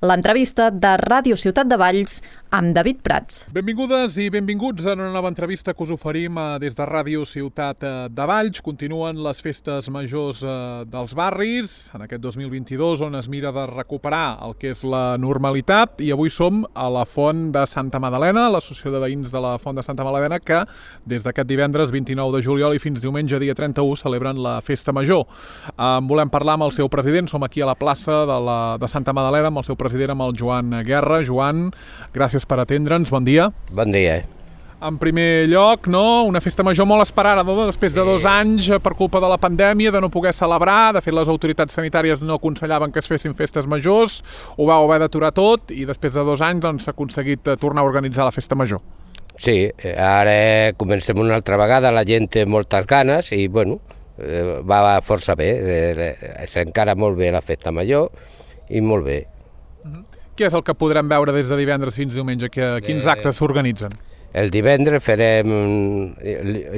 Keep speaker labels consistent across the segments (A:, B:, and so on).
A: l'entrevista de Ràdio Ciutat de Valls amb David Prats.
B: Benvingudes i benvinguts a una nova entrevista que us oferim des de Ràdio Ciutat de Valls. Continuen les festes majors dels barris en aquest 2022, on es mira de recuperar el que és la normalitat, i avui som a la Font de Santa Madalena, l'associació de veïns de la Font de Santa Madalena, que des d'aquest divendres 29 de juliol i fins diumenge dia 31 celebren la festa major. Volem parlar amb el seu president, som aquí a la plaça de Santa Madalena amb el seu president, amb el Joan Guerra. Joan, gràcies per atendre'ns, bon dia.
C: Bon dia.
B: En primer lloc, una festa major molt esperada, després de 2 anys per culpa de la pandèmia, de no poder celebrar. De fet, les autoritats sanitàries no aconsellaven que es fessin festes majors, ho vau haver d'aturar tot, i després de 2 anys s'ha aconseguit tornar a organitzar la festa major.
C: Sí, ara comencem una altra vegada, la gent té moltes ganes i, va força bé, s'encara molt bé la festa major i molt bé.
B: Què és el que podrem veure des de divendres fins diumenge? Quins actes s'organitzen?
C: El divendres farem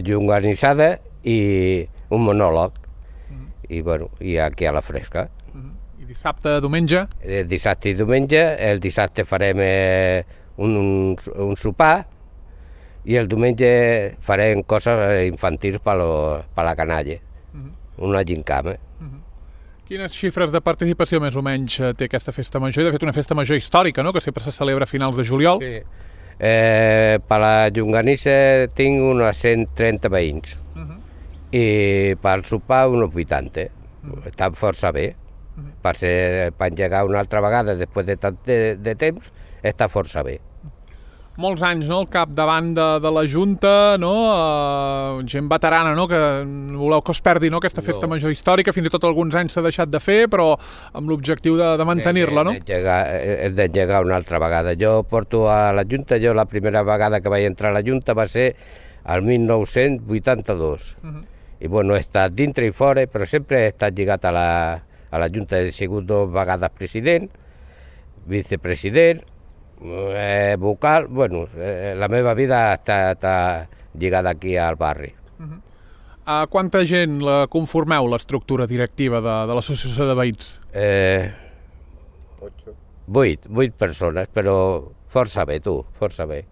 C: llonganissada i un monòleg, i aquí a la fresca.
B: I dissabte, diumenge?
C: Dissabte i diumenge, el dissabte farem un sopar i el diumenge farem coses infantils per la canalla, una gincama.
B: Quines xifres de participació més o menys té aquesta festa major? De fet, una festa major històrica, que sempre se celebra a finals de juliol.
C: Sí. Per la llonganissa tinc unes 130 veïns i per sopar uns 80. Està força bé. Per engegar una altra vegada després de tant de temps, està força bé.
B: Molts anys, al capdavant de la Junta, gent veterana, que voleu que es perdi aquesta festa major històrica, fins i tot alguns anys s'ha deixat de fer, però amb l'objectiu de mantenir-la, no?
C: D'engegar una altra vegada. Jo porto a la Junta, la primera vegada que vaig entrar a la Junta va ser el 1982. I he estat dintre i fora, però sempre he estat lligat a la Junta. He sigut 2 vegades president, vicepresident, vocal, la meva vida ha estat lligada aquí al barri.
B: Quanta gent la conformeu, l'estructura directiva de l'associació de veïns?
C: 8 persones, però força bé, força bé.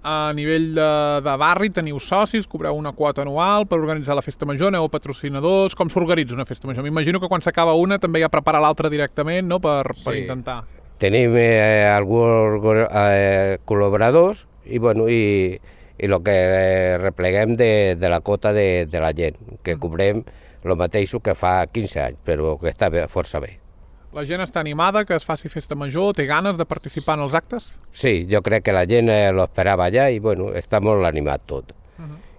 B: A nivell de barri teniu socis, cobreu una quota anual per organitzar la festa major, aneu a patrocinadors, com s'organitza una festa major? M'imagino que quan s'acaba una també hi ha preparar l'altra directament, per intentar...
C: Tenim alguns col·laboradors i el que repleguem de la quota de la gent, que cobrem el mateix que fa 15 anys, però que està força bé.
B: La gent està animada que es faci festa major? Té ganes de participar en els actes?
C: Sí, jo crec que la gent l'esperava allà i està molt animat tot.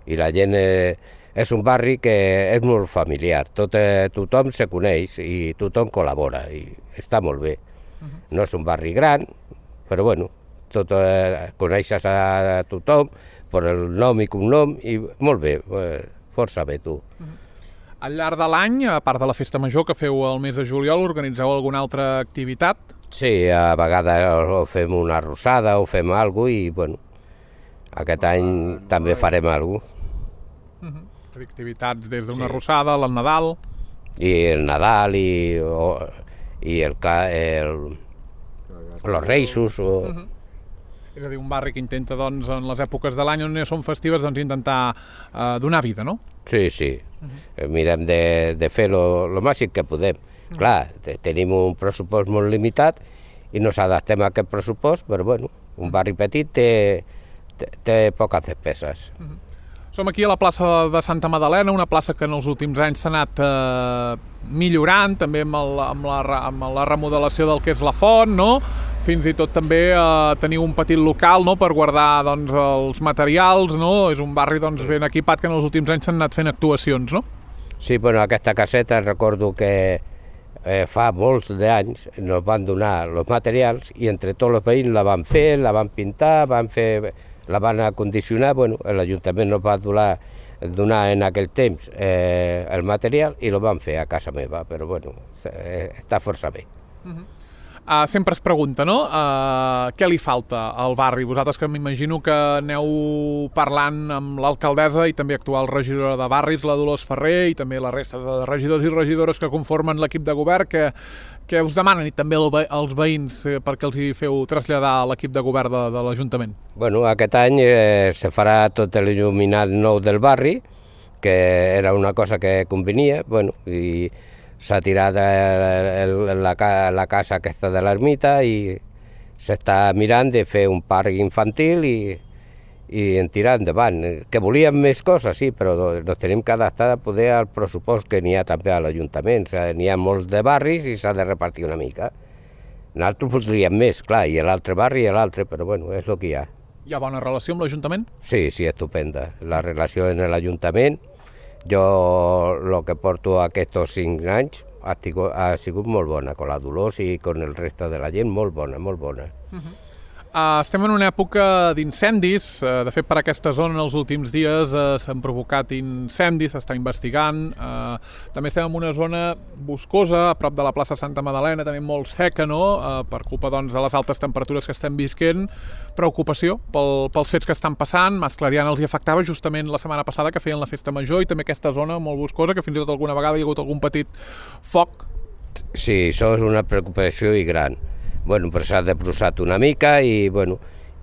C: I la gent és un barri que és molt familiar, tothom se coneix i tothom col·labora i està molt bé. No és un barri gran, però coneixes a tothom per el nom i cognom i molt bé, força bé tu.
B: Al llarg de l'any, a part de la festa major que feu el mes de juliol, organitzeu alguna altra activitat?
C: Sí, a vegades fem una arrossada o fem alguna cosa i aquest any també farem alguna cosa.
B: Activitats des d'una arrossada, el Nadal...
C: I el Nadal i els Reixos.
B: És a dir, un barri que intenta, en les èpoques de l'any on són festives, intentar donar vida, no?
C: Sí. Mirem de fer el màxim que podem. Clar, tenim un pressupost molt limitat i no s'adaptem a aquest pressupost, però un barri petit té poques despeses.
B: Som aquí a la plaça de Santa Madalena, una plaça que en els últims anys s'ha anat millorant, també amb la remodelació del que és la font, Fins i tot també teniu un petit local per guardar els materials, És un barri ben equipat que en els últims anys s'han anat fent actuacions, no?
C: Sí, aquesta caseta recordo que fa molts d'anys ens van donar els materials i entre tots els veïns la van fer, la van pintar, la van acondicionar, l'Ajuntament nos va donar en aquell temps el material i el van fer a casa meva, però està força bé.
B: Sempre es pregunta, no? Què li falta al barri? Vosaltres que m'imagino que aneu parlant amb l'alcaldessa i també actual regidora de barris, la Dolors Ferrer, i també la resta de regidors i regidores que conformen l'equip de govern, que us demanen, i també els veïns, perquè els hi feu traslladar a l'equip de govern de l'Ajuntament?
C: Bueno, aquest any se farà tot l'il·luminat nou del barri, que era una cosa que convenia, bueno, i s'ha tirat la casa aquesta de l'ermita i s'està mirant de fer un parc infantil i en tirar endavant. Que volíem més coses, sí, però ens tenim que adaptar poder al pressupost que n'hi ha també a l'Ajuntament. N'hi ha molts de barris i s'ha de repartir una mica. Nosaltres voldríem més, clar, i l'altre barri i l'altre, però bueno, és el que hi ha.
B: Hi ha bona relació amb l'Ajuntament?
C: Sí, estupenda. La relació en l'Ajuntament, jo el que porto aquests 5 anys ha sigut molt bona, amb la Dolors i amb el reste de la gent, molt bona, molt bona.
B: Estem en una època d'incendis. De fet, per aquesta zona en els últims dies s'han provocat incendis, s'està investigant. També estem en una zona boscosa, a prop de la plaça Santa Madalena, també molt seca, no? Per culpa doncs, de les altes temperatures que estem visquent. Preocupació pels fets que estan passant. Mas Clariana els hi afectava justament la setmana passada, que feien la festa major, i també aquesta zona molt boscosa, que fins i tot alguna vegada hi ha hagut algun petit foc.
C: Sí, això és una preocupació i gran. Bueno, però s'ha debrosat una mica i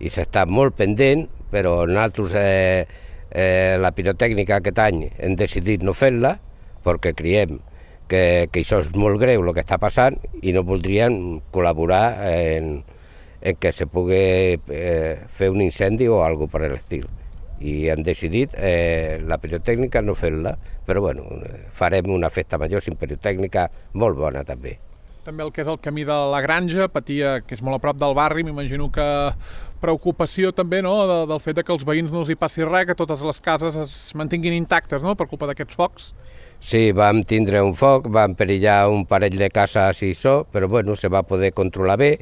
C: s'està molt pendent, però nosaltres la pirotècnica aquest any hem decidit no fer-la perquè creiem que això és molt greu el que està passant i no voldríem col·laborar en que se pugui fer un incendi o alguna cosa per l'estil. I hem decidit la pirotècnica no fer-la, però farem una festa major sin pirotècnica molt bona també.
B: També el que és el camí de la Granja, patia, que és molt a prop del barri, m'imagino que preocupació també, no?, del fet que els veïns no els hi passi res, que totes les cases es mantinguin intactes, no?, per culpa d'aquests focs.
C: Sí, vam tindre un foc, vam perillar un parell de cases i això, però se va poder controlar bé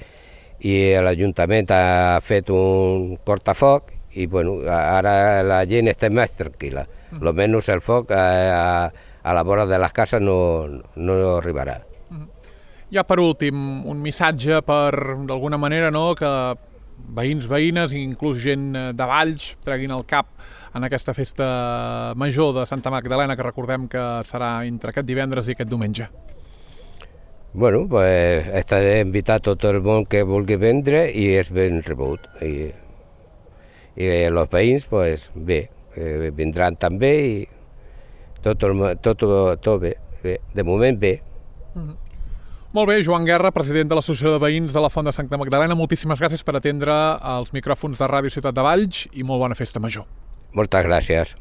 C: i l'Ajuntament ha fet un cortafoc i ara la gent està més tranquil·la. Almenys el foc a la vora de les cases no arribarà.
B: Ja per últim, un missatge per, d'alguna manera, no?, que veïns, veïnes i inclús gent de Valls treguin el cap en aquesta festa major de Santa Magdalena, que recordem que serà entre aquest divendres i aquest diumenge.
C: Estaré invitat tot el món que vulgui vendre i és ben rebut. I els veïns, bé, vindran també i tot bé. De moment bé.
B: Molt bé, Joan Guerra, president de l'Associació de Veïns de la Font de Santa Magdalena, moltíssimes gràcies per atendre els micròfons de Ràdio Ciutat de Valls i molt bona festa major.
C: Moltes gràcies.